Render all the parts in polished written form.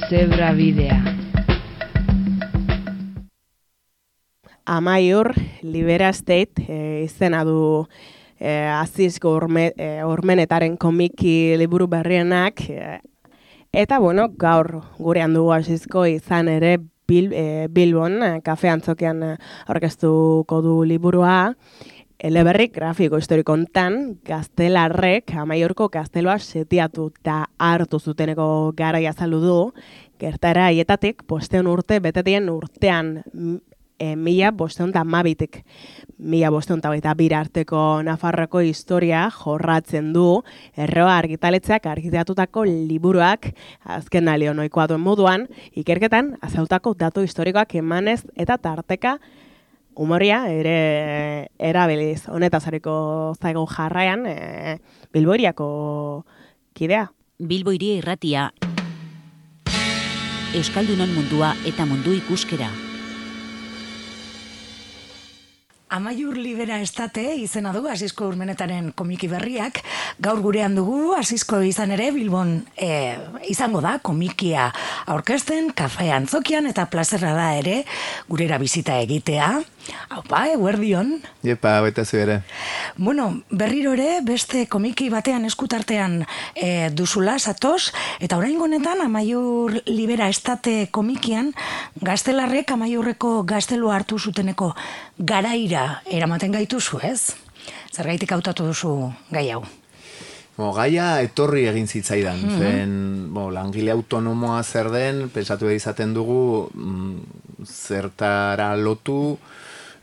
Zebrabidea. Amaiur Libera State izena du Azizko Ormenetaren komiki liburu berrienak eta gaur gurean dugu Azizko izan ere Bilbon kafe antzokian aurkeztuko du liburua. Eleberrik grafiko historiko hontan gaztelarrek Amaiurko gazteloa setiatu eta hartu zuteneko garaia azaldu du. Gertaera haietatik 500 urte betetien urtean 1512tik 1522 arteko Nafarroako historia jorratzen du Erroa argitaletxeak argitaratutako liburuak azken alio ohikoa duen moduan ikerketan azaltutako datu historikoak emanez eta tarteka humoria ere erabiliz. Honetaz ariko zaigu jarraian Bilbo hiriako kidea. Bilbo hiria irratia. Euskaldunon mundua eta mundu ikuskera. Amaiur Libera Estate izena du Azizko Urmenetaren komiki berriak. Gaur gurean dugu Azizko izan ere Bilbon izango da komikia aurkezten, kafe antzokian eta plazerra da ere gurera bizita egitea. Aupa, eguerdion. Iepa, baita zu ere. Bueno, berriro ere beste komiki batean eskutartean duzula, zatoz, eta oraingo honetan Amaiur Libera Estate komikian gaztelarrek Amaiurreko gaztelua hartu zuteneko garaira eramaten gaituzu, ez? Zergaitik hautatu duzu gai hau? Gaia etorri egin zitzaidan. Zen, langile autonomoa zer den, pensatu izaten dugu zertara lotu,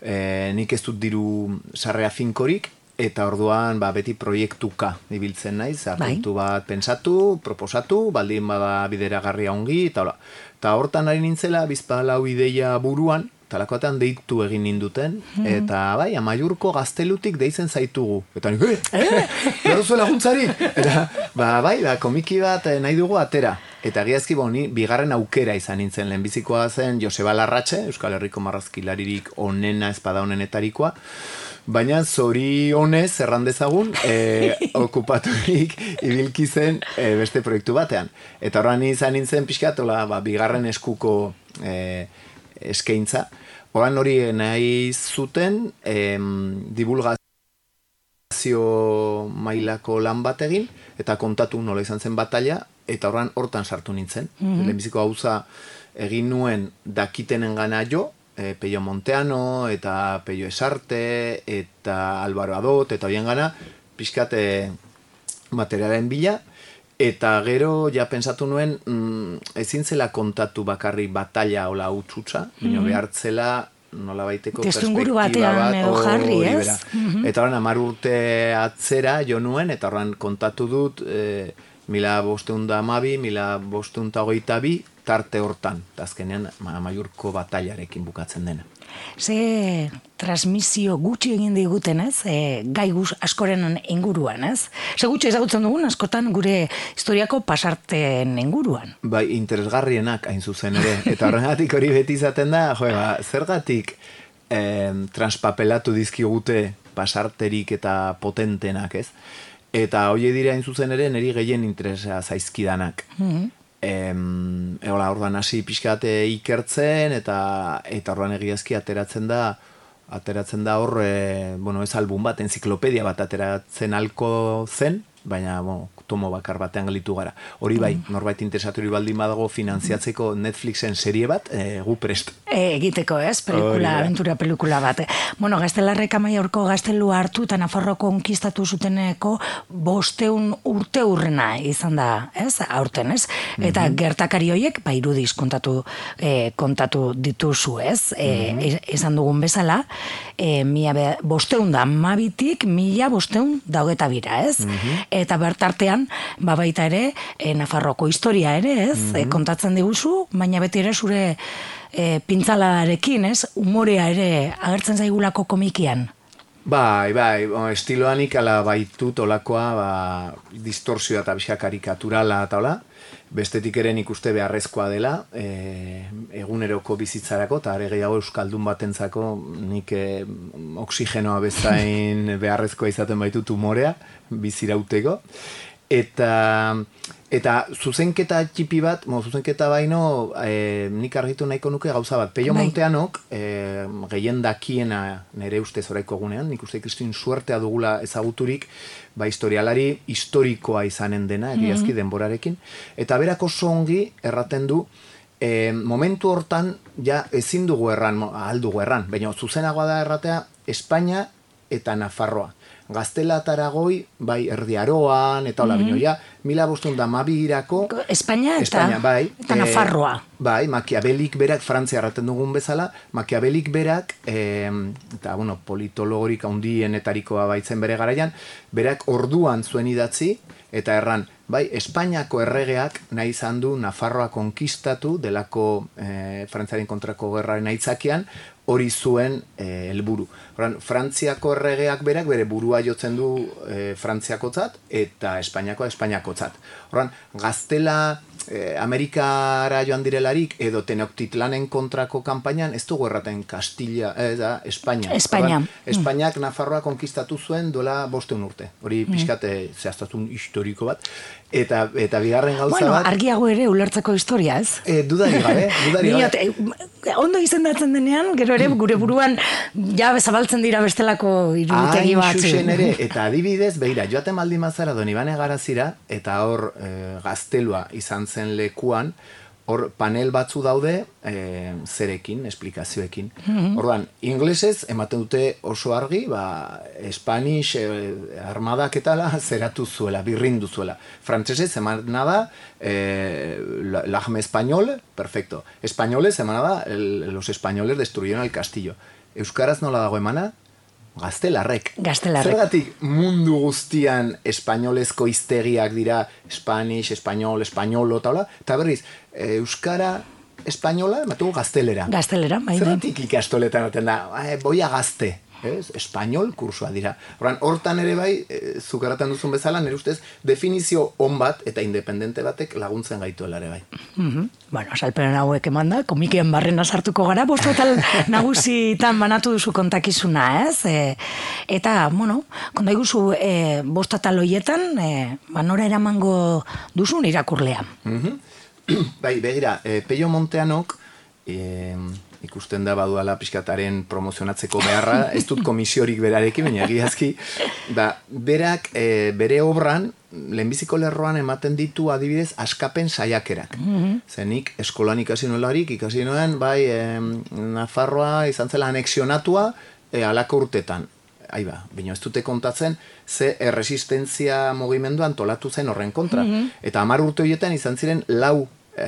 nik ez dut diru sarrera finkorik, eta orduan beti proiektuka ibiltzen naiz, artu bat pensatu, proposatu, baldin bada bideragarria ongi, eta hortan ari nintzela, bizpalau ideia buruan, talakoetan deitu egin ninduten, eta Amaiurko gaztelutik deitzen zaitugu. Eta nik, behar zuen laguntzari! Eta, komiki bat nahi dugu atera. Eta giazki ni bigarren aukera izan nintzen, lehenbizikoa zen Joseba Larratxe, Euskal Herriko marrazkilaririk onena espada honenetarikoa, baina zori honez errandezagun okupaturik ibilki zen beste proiektu batean. Eta horran izan nintzen pixkatola, bigarren eskuko eskaintza. Horan hori nahi zuten divulgazio mailako lan bat egin, eta kontatu nola izan zen batalla, eta hortan sartu nintzen. Lehenbiziko gauza egin nuen dakitenen gana jo, Peio Monteano, eta Peio Esarte, eta Álvaro Adot, eta bien gana, pixkat materialen bila, eta gero ja pensatu nuen ezin zela kontatu bakarri batalla hola utxutxa, behartzela nola baiteko perspektiba bat jarri, ez? Eta horren 10 urte atzera jo nuen, eta horren kontatu dut 1512, 1522 tarte hortan, eta azkenean Amaiurko batailarekin bukatzen dena. Ze transmisio gutxi egin diguten, ez? Gai askoren inguruan, ez? Ze gutxi ezagutzen dugun askotan gure historiako pasarten inguruan. Interesgarrienak hain zuzen ere. Eta horregatik hori beti izaten da, zergatik transpapelatu dizkigute pasarterik eta potentenak, ez? Eta hori dira hain zuzen ere niri gehien interesa zaizkidanak. Orduan hasi pixkate ikertzen eta orduan egiazki ateratzen da hor, ez album bat, enziklopedia bat ateratzen alko zen, baina tomo bakar batean galitu gara. Hori norbait interesaturi baldin badago finantziatzeko Netflixen serie bat, gu prest. Egiteko, ez? Aventura pelikula bat. Gaztelarrek Amaiurko gaztelua hartu eta Nafarroko konkistatu zuteneko 500 urte urrena izan da, ez? Aurten, ez? Eta gertakari horiek, irudiz kontatu dituzu, ez? Esan dugun bezala, 1512tik 1522, ez? Eta bertartean, baita ere, Nafarroko historia ere, ez? Kontatzen diguzu, baina beti ere zure pintzalarekin, ez? Umorea ere agertzen zaigulako komikian. Estiloanik ala baitut olakoa distorsioa eta bizka karikaturala eta hola. Bestetik ere nik uste beharrezkoa dela, eguneroko bizitzarako, eta are gehiago euskaldun batentzako nik oxigenoa bezain beharrezkoa izaten baitut umorea, bizirauteko. Eta zuzenketa txipi bat, zuzenketa baino, nik argitu nahiko nuke gauza bat. Peio Monteanok, gehien dakiena nire ustez oraiko gunean, nik uste kristin suertea dugula ezaguturik, historialari historikoa izanen dena, egiazki denborarekin, eta berak oso ongi erraten du, momentu hortan, ja ezin dugu aldugu erran, baina zuzenagoa da erratea, Espainia eta Nafarroa. Gaztela eta Aragoi, Erdi Aroan, eta hola, bino, ja, 1512 Espainia eta Nafarroa. Machiavellik berak, Frantzia erraten dugun bezala, Machiavellik berak, eta, politologorik handienetarikoa baitzen bere garaian, berak orduan zuen idatzi, eta erran, Espainiako erregeak nahi izan du Nafarroa konkistatu delako Frantziaren kontrako gerraren aitzakian, hori zuen helburu. Frantziako erregeak berak bere burua jotzen du Frantziakotzat eta Espainiakotzat. Gaztela Amerikara joan direlarik edo Tenochtitlanen kontrako kanpainan ez dugu erraten Kastilla, Espainia. Espainiak Nafarroa konkistatu zuen duela 500 urte. Hori pixkate zehaztatun historiko bat. Eta bigarren gauza bat... argiago ere ulertzeko historia, ez? Dudari gabe. Ondo izendatzen denean, gero ere gure buruan ja zabaltzen dira bestelako iruditegi batzu. Eta adibidez, begira, joaten baldin mazara Donibane Garazira, eta hor gaztelua izan zen lekuan, hor panel batzu daude zerekin, esplikazioekin. Orduan, inglesez ematen dute oso argi, Spanish armadak etala zeratu zuela, birrindu zuela. Frantsesez emana da l'arme español, perfecto. Españolez emana da los españoles destruyeron el castillo. Euskaraz nola dago emana? Gaztelarrek. Zergatik mundu guztian espainolezko hiztegiak dira Spanish, español, españolo, eta berriz, euskara espainola, ematugu gaztelera. Zergatik ikastoletan aten da, boia gazte. Espainol kursoa dira. Hortan ere zuk erraten duzun bezala, nire ustez, definizio on bat eta independente batek laguntzen gaituela ere bai. Salperen hauek emanda, komikien barrena sartuko gara, bostotal nagusitan banatu duzu kontakizuna, ez? Eta, konta iguzu, bostotal hoietan, nora eramango duzun irakurlea. Begira, Peio Monteanok, ikusten da baduala pixkataren promozionatzeko beharra, ez dut komisiorik berarekin, baina egiazki, berak bere obran, lehenbiziko lerroan ematen ditu adibidez askapen saiakerak. Zenik eskolan ikasi nuen, Nafarroa izan zela anexionatua alako urtetan. Baina ez dute kontatzen ze erresistentzia mugimendu antolatu zen horren kontra. Eta 10 urte horietan izan ziren 4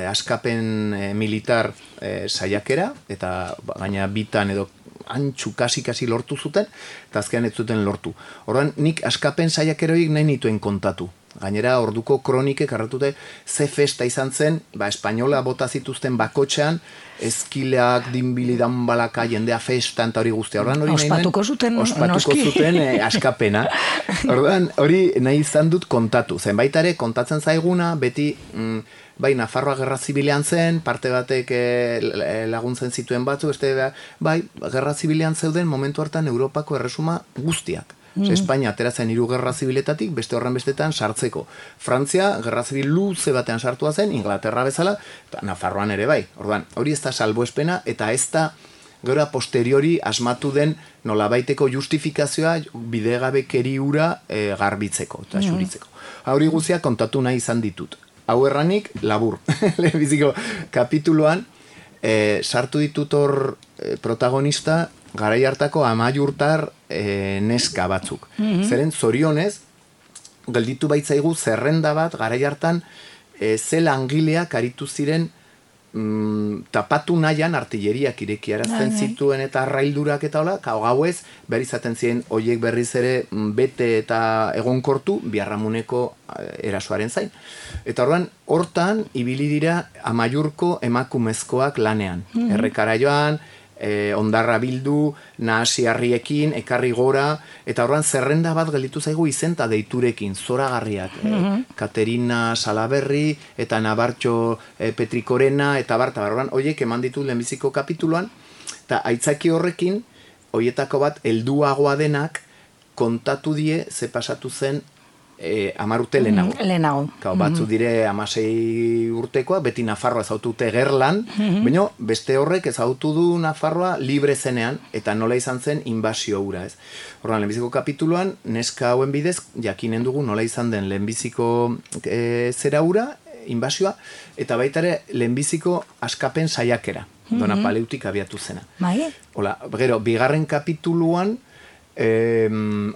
askapen militar saiakera, eta gaina bitan edo antxu kasi lortu zuten, eta azkean ez zuten lortu. Orduan, nik askapen saiakeroik nahi nituen kontatu. Gainera, orduko kronikek arratute ze festa izan zen, espainola bota zituzten bakotxean, ezkileak, dinbilidan balaka, jendea festa eta hori guztia. Ospatuko zuten askapena. Orduan, hori nahi izan dut kontatu. Zenbait ere, kontatzen zaiguna, beti... Nafarroa gerra zibilean zen, parte batek laguntzen zituen batzu, gerra zibilean zeuden momentu hartan Europako erresuma guztiak. Espainia ateratzen 3 gerra zibiletatik, beste horren bestetan sartzeko. Frantzia, gerra zibil luze batean sartua zen, Inglaterra bezala, eta Nafarroan ere bai. Orduan, hori ez da salbuespena, eta ez da gero a posteriori asmatu den nolabaiteko justifikazioa bidegabekeri hura garbitzeko eta xuritzeko. Hori guztia kontatu nahi izan ditut. Hau erranik, labur. Lehenbiziko kapituluan, sartu ditut hor protagonista garai hartako amaiurtar neska batzuk. Zeren zorionez, gelditu baitzaigu zerrenda bat garai hartan ze langileak aritu ziren tapatu nahian artilleriak irekiarazten zituen eta arraildurak eta hola, gauez, behar izaten ziren oiek berriz ere bete eta egonkortu biarramuneko erasoaren zain. Eta hortan, ibili dira amaiurko emakumezkoak lanean. Errekara joan, ondarra bildu, nahasiarriekin, ekarri gora, eta horren zerrenda bat gelditu zaigu izenta deiturekin, zoragarriak. Katerina Salaberri, eta Nabartxo Petrikorena, eta horren, horiek eman ditu lehenbiziko kapituluan, eta aitzaki horrekin, horietako bat helduagoa denak, kontatu die ze pasatu zen 10 urte lehenago. Lehenago. Batzu dire 16 urtekoa, beti Nafarroa ezautute Gerlan, baina beste horrek ezautu du Nafarroa libre zenean, eta nola izan zen inbasio hura, ez. Horren, lehenbiziko kapituluan, neska hauen bidez, jakinen dugu nola izan den lehenbiziko zera hura, inbasioa, eta baita ere lehenbiziko askapen saiakera, Dona Paleutik abiatu zena. Bai? Hola, gero, bigarren kapituluan,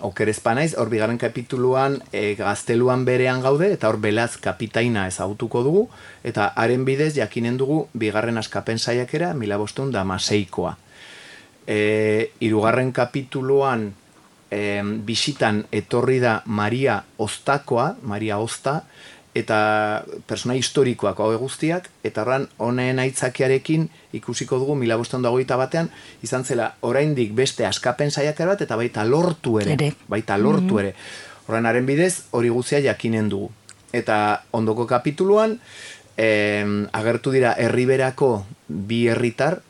okerezpa naiz, hor bigarren kapituluan gazteluan berean gaude, eta hor Belaz kapitaina ezagutuko dugu, eta haren bidez jakinen dugu bigarren askapen saiakera 1516koa. Hirugarren kapituluan bisitan etorri da Maria Oztakoa, Maria Ozta, eta persona historikoak hau guztiak, eta horren honen aitzakiarekin ikusiko dugu 1521 izan zela oraindik beste askapen saiakera bat, eta baita lortu ere. Horren haren bidez hori guztia jakinen dugu. Eta ondoko kapituluan agertu dira herriberako bi herritar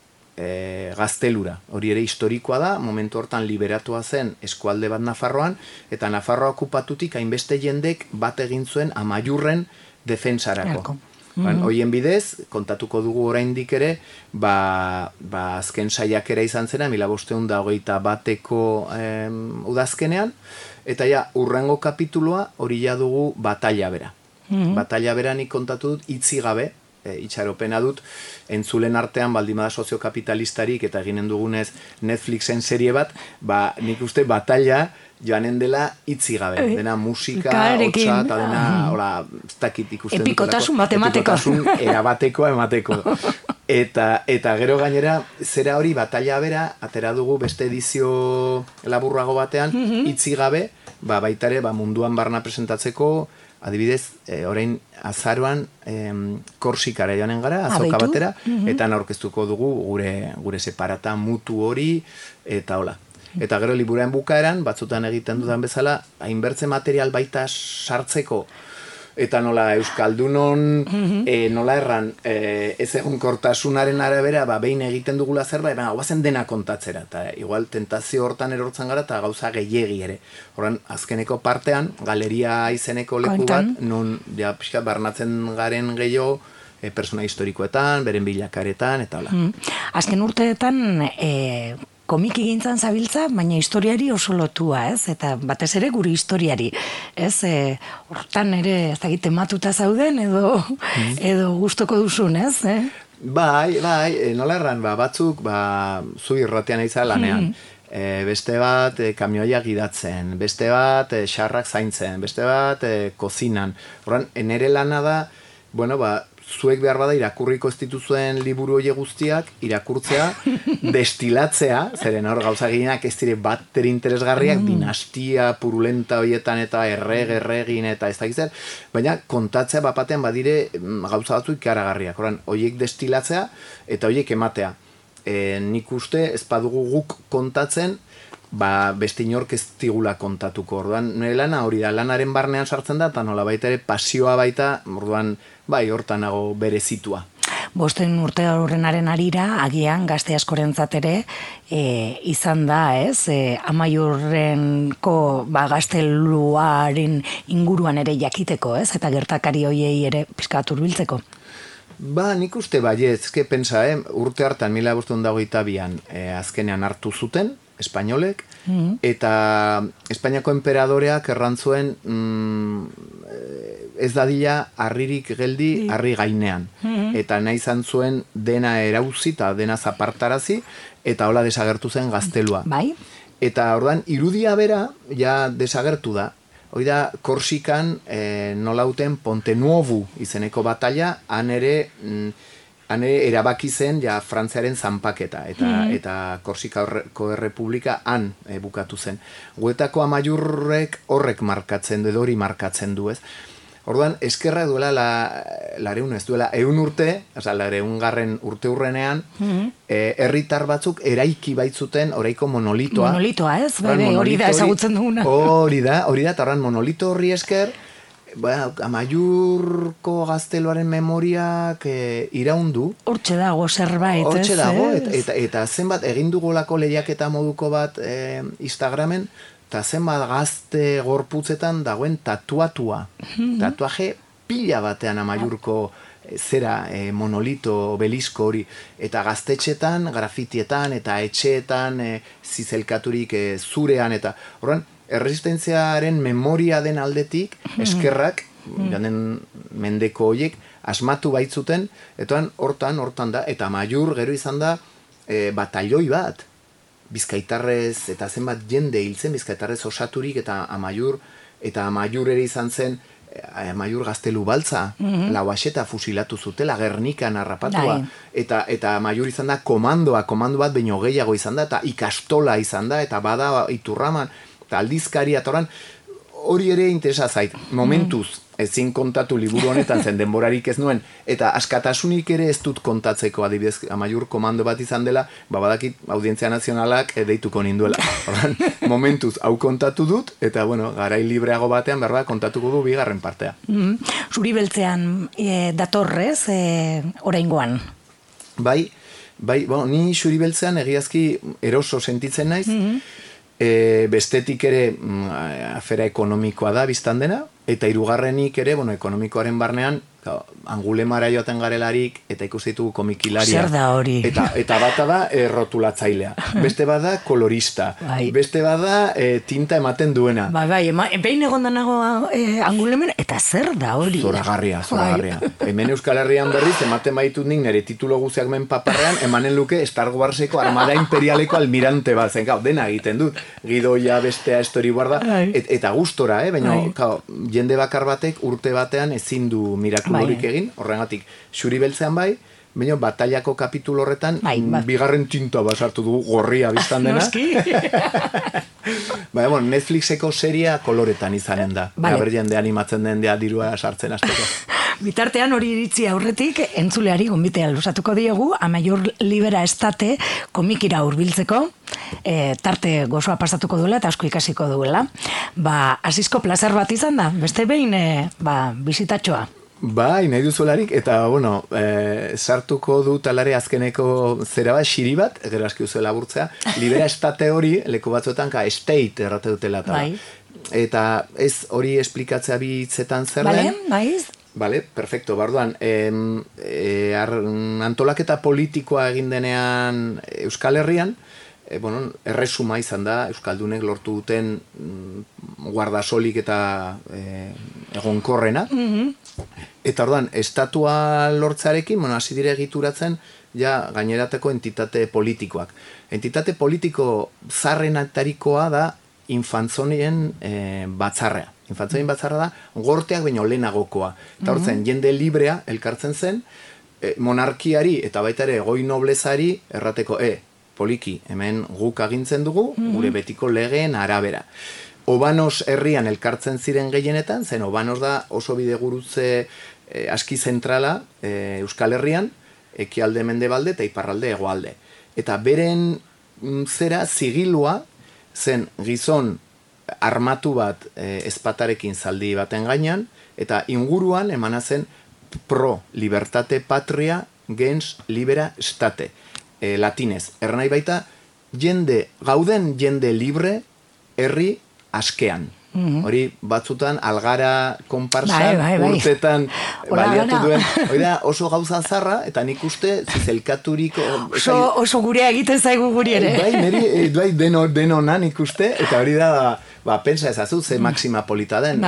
gaztelura. Hori ere historikoa da, momentu hortan liberatua zen eskualde bat Nafarroan, eta Nafarroa okupatutik hainbeste jendek bat egin zuen Amaiurren defensarako. Hoien bidez, kontatuko dugu oraindik ere, azken saiakera izan zena, 1521ko udazkenean, eta ja, urrengo kapitulua hori ja dugu batalla bera. Batalla bera nik kontatu dut itzi gabe, itxaropena dut, entzulen artean baldimada soziokapitalistarik eta eginen dugunez Netflixen serie bat, nik uste batalla joanen dela itzi gabe, dena musika, hotza, eta dena, hola, ez dakit ikusten epikotasun matematiko. Epikotasun erabateko emateko. Eta gero gainera, zera hori batalla bera, atera dugu beste edizio laburrago batean, itzi gabe, baitare munduan barna presentatzeko, adibidez, orain azaroan Korsikara joanen gara, azoka batera, eta aurkeztuko dugu gure separata mutu hori, eta hola. Eta gero liburuen bukaeran, batzutan egiten dudan bezala, hainbertze material baita sartzeko, eta nola Euskaldunon, nola erran, ez egonkortasunaren arabera, behin egiten dugula zerbait, guazen dena kontatzera, eta igual tentazio hortan erortzen gara, eta gauza gehiegi ere. Horren, azkeneko partean, galeria izeneko leku bat, non, ja, pixka, barnatzen garen gehiago, persona historikoetan, beren bilakaretan, eta hola. Azken urteetan, komiki gintzan zabiltza, baina historiari oso lotua, ez? Eta batez ere guri historiari, ez? Hortan ere, ez dakit tematuta zauden, edo gustoko duzun, ez? Bai, nola erran, batzuk, zu irratean eiza lanean. Beste bat kamioia gidatzen, beste bat xarrak zaintzen, beste bat kozinan. Horren, nere lana da, zuek behar bada irakurriko ez dituzuen liburu horiek guztiak, irakurtzea, destilatzea, zeren hor gauza gehienak ez dire bater interesgarriak, dinastia purulenta horietan eta erregin eta ez dakiz zer, baina kontatzea bapatean badire gauza batzu ikaragarriak. Horren, horiek destilatzea eta horiek ematea. Nik uste ez badugu guk kontatzen, beste inork ez digula kontatuko. Orduan, nire lana hori da, lanaren barnean sartzen da, eta nola baita ere pasioa baita, orduan, hortanago berezitua. Bosten urte horrenaren arira, agian gazte askorentzat ere, izan da, ez? Amaiurrenko gazteluaren inguruan ere jakiteko, ez? Eta gertakari hoiei ere pizkat hurbiltzeko. Nik uste baietz, pensa, urte hartan 1522an azkenean hartu zuten, espainolek, eta Espainiako enperadoreak errantzuen ez dadila harririk geldi harri gainean. Eta nahi izan zuen dena erauzi eta dena zapartarazi, eta hola desagertu zen gaztelua. Bai. Eta orduan, irudia bera, ja desagertu da. Hoi da, Korsikan nolauten Ponte Nuovu izeneko batalla, han ere erabaki zen ja Frantziaren zanpaketa, eta Korsikako Errepublika han bukatu zen. Guetako Amaiurrek horrek markatzen du, edo hori markatzen du, ez? Orduan, eskerra duela lareun, ez duela 100 urte, oza, 100. urte hurrenean, herritar batzuk eraiki baitzuten oraiko monolitoa. Monolitoa, ez? Hori da ezagutzen duguna. Hori da, eta horren monolito horri esker, Amaiurko gazteluaren memoriak iraundu. Hortxe dago zerbait, ez? Hortxe dago, eta zenbat egin dugolako lehiaketa moduko bat Instagramen, eta zenbat gazte gorputzetan dagoen tatuatua. Tatuaje pila batean Amaiurko zera monolito, obelisko hori, eta gaztetxetan, grafitietan, eta etxeetan, zizelkaturik zurean, eta horren, erresistentziaren memoria den aldetik, eskerrak, janen mendeko horiek, asmatu baitzuten, eta hortan da, eta Amaiur gero izan da, batalloi bat, bizkaitarrez, eta zenbat jende hiltzen, bizkaitarrez osaturik, eta Amaiur ere izan zen, Amaiur gaztelu baltza, Lauaxeta fusilatu zutela, Gernikan harrapatua, eta Amaiur izan da komando bat baino gehiago izan da, eta ikastola izan da, eta bada Iturraman, eta aldizkaria, eta hori ere interesa zait, momentuz, ezin kontatu liburu honetan zen denborarik ez nuen, eta askatasunik ere ez dut kontatzeko, adibidez, Amaiur komando bat izan dela, badakit Audientzia Nazionalak deituko ninduela. Horren, momentuz, hau kontatu dut, eta, garai libreago batean, berba, kontatuko du bigarren partea. Zuri beltzean datorrez, oraingoan? Bai, ni Zuri beltzean egiazki eroso sentitzen naiz, bestetik ere afera ekonomikoa da biztan dena, eta hirugarrenik ere, ekonomikoaren barnean, Angulemara joaten garelarik, eta ikusi ditugu komikilaria. Zer da hori? Eta bata da rotulatzailea. Beste bada kolorista. Beste bada tinta ematen duena. Behin egon danago Angulemen, eta zer da hori? Zoragarria. Hemen Euskal Herrian berriz, ematen baitut nik nire titulo guziak men paparrean, emanen luke Star Warseko Armada Imperialeko almirante bat, zen, dena egiten dut. Gidoia, bestea, storyboarda, eta gustora, baina, jende bakar batek urte batean ezin du mirakulurik egin, horrengatik, Zuri beltzean bai, baina batallako kapitulo horretan bigarren tinta basartu dugu gorria biztan dena. Netflixeko seria koloretan izanen da. Gaber jende animatzen den dirua sartzen azteko. Bitartean hori iritzi aurretik, entzuleari gonbitea luzatuko diegu, Amaiur Libera Estate komikira hurbiltzeko, tarte gozoa pasatuko duela eta asko ikasiko duela. Asizko plazer bat izan da, beste behin bizitatxoa. Bai, nahi duzularik, eta, sartuko du talare azkeneko zera bat, xiri bat, gero aski duzuela burtzea, Libera Estate hori, leku batzuetan, estate errate dutela. Eta ez hori esplikatzea bi hitzetan zer den. Bale, perfecto, barduan, antolaketa politikoa egin denean Euskal Herrian, erresuma izan da, Euskaldunek lortu duten guardasolik eta egonkorrena. Eta orduan, estatua lortzarekin, hasi dire egituratzen, gainerateko entitate politikoak. Entitate politiko zarrenatarikoa da infantzonien batzarrea. Infantzonien batzarra da, gorteak baino lehenagokoa. Eta hortzen, jende librea elkartzen zen, monarkiari eta baita ere goi noblezari errateko, poliki, hemen guk agintzen dugu, gure betiko legeen arabera. Obanos herrian elkartzen ziren gehienetan, zen Obanos da oso bidegurutze aski zentrala Euskal Herrian, ekialde mendebalde eta iparralde hegoalde. Eta beren zera zigilua zen gizon armatu bat ezpatarekin zaldi baten gainean, eta inguruan emana zen pro libertate patria gens libera state, latinez. Ernai baita, gauden jende libre herri askean. Hori batzutan algara konparsan urtetan baliatu duen. Hori da oso gauza zarra, eta nik uste zizelkaturiko... Oso gurea egiten zaigu guri ere. Bai, denona nik uste, eta hori da, pensa ezazu, ze maxima polita den.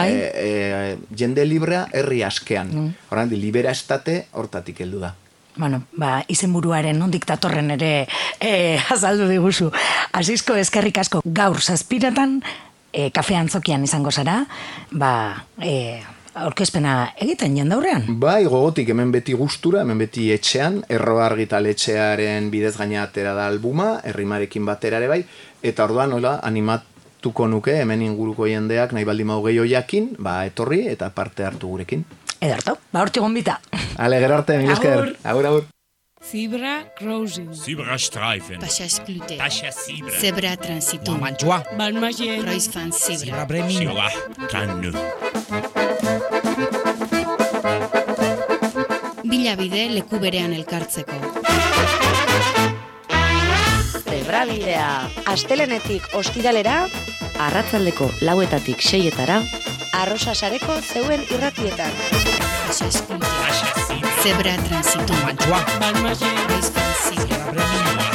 Jende librea herri askean. Horren, Libera Estate hortatik heldu da. Izenburuaren nondik datorren ere azaldu diguzu. Asizko eskerrik asko gaur zazpiratan, kafe antzokian izango zara, aurkezpena egiten jendaurrean. Bai, gogotik, hemen beti gustura, hemen beti etxean, Erro Argitaletxearen bidez gaina atera da albuma, Errimarekin batera ere bai, eta orduan animatuko nuke, hemen inguruko jendeak nahi baldin mau gehiago jakin, etorri eta parte hartu gurekin. Ederto, hortxe gonbita. Ale, gero arte, mil esker. Agur. Zebra crossing. Zebra streifen. Pashasklute. Pashasibra. Zebra transitum. Mantua. Balmagie. Kreuzfahrt zebra. Zebra bremin. Zebra kannu. Bilabide leku berean elkartzeko. Zebrabidea. Astelenetik ostiralera, arratsaldeko 4:00 tik 6:00 Arrosa sareko zeuen irratietan. Zebra transitu. Roiz Van Zibra.